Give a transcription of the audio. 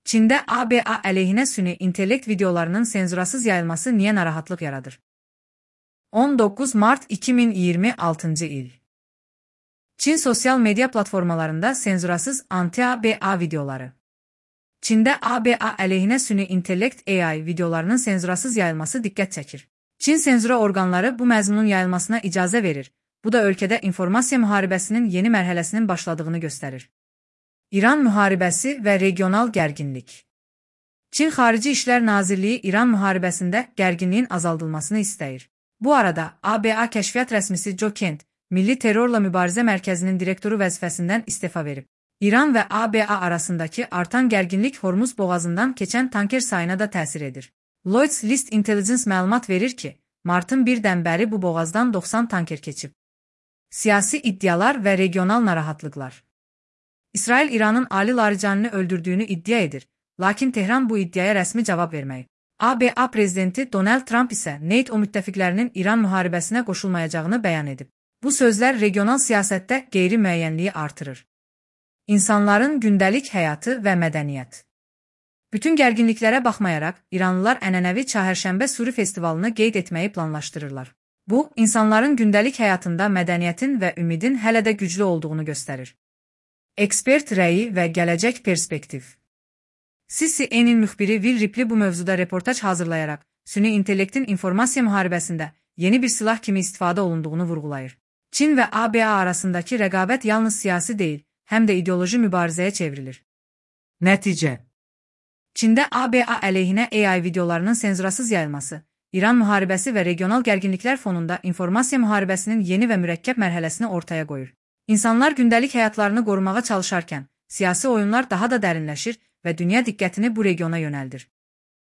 Çində ABA əleyhinə süni intellekt videolarının senzurasız yayılması niyə narahatlıq yaradır? 19 Mart 2026 il. Çin sosial media platformalarında senzurasız anti-ABA videoları. Çində ABA əleyhinə süni intellekt AI videolarının senzurasız yayılması diqqət çəkir. Çin senzura orqanları bu məzmunun yayılmasına icazə verir. Bu da ölkədə informasiya müharibəsinin yeni mərhələsinin başladığını göstərir. İran müharibəsi və regional gərginlik. Çin Xarici İşlər Nazirliyi İran müharibəsində gərginliyin azaldılmasını istəyir. Bu arada ABA kəşfiyyat rəsmisi Joe Kent, Milli Terrorla Mübarizə Mərkəzinin direktoru vəzifəsindən istefa verib. İran və ABA arasındakı artan gərginlik Hormuz boğazından keçən tanker sayına da təsir edir. Lloyd's List Intelligence məlumat verir ki, martın 1-dən bəri bu boğazdan 90 tanker keçib. Siyasi iddialar və regional narahatlıqlar. İsrail İranın Ali Laricanini öldürdüyünü iddia edir, lakin Tehran bu iddiaya rəsmi cavab verməyib. ABA prezidenti Donald Trump isə NATO müttəfiqlərinin İran müharibəsinə qoşulmayacağını bəyan edib. Bu sözlər regional siyasətdə qeyri-müəyyənliyi artırır. İnsanların gündəlik həyatı və mədəniyyət. Bütün gərginliklərə baxmayaraq, İranlılar ənənəvi Çahərşənbə Suri festivalını qeyd etməyi planlaşdırırlar. Bu, insanların gündəlik həyatında mədəniyyətin və ümidin hələ də güclü olduğunu göstərir. Ekspert rəyi və gələcək perspektiv. CNN müxbiri Will Ripley bu mövzuda reportaj hazırlayaraq, süni intellektin informasiya müharibəsində yeni bir silah kimi istifadə olunduğunu vurğulayır. Çin və ABA arasındakı rəqabət yalnız siyasi deyil, həm də ideoloji mübarizəyə çevrilir. Nəticə. Çində ABA əleyhinə AI videolarının senzurasız yayılması, İran müharibəsi və regional gərginliklər fonunda informasiya müharibəsinin yeni və mürəkkəb mərhələsini ortaya qoyur. İnsanlar gündəlik həyatlarını qorumağa çalışarkən, siyasi oyunlar daha da dərinləşir və dünya diqqətini bu regiona yönəldir.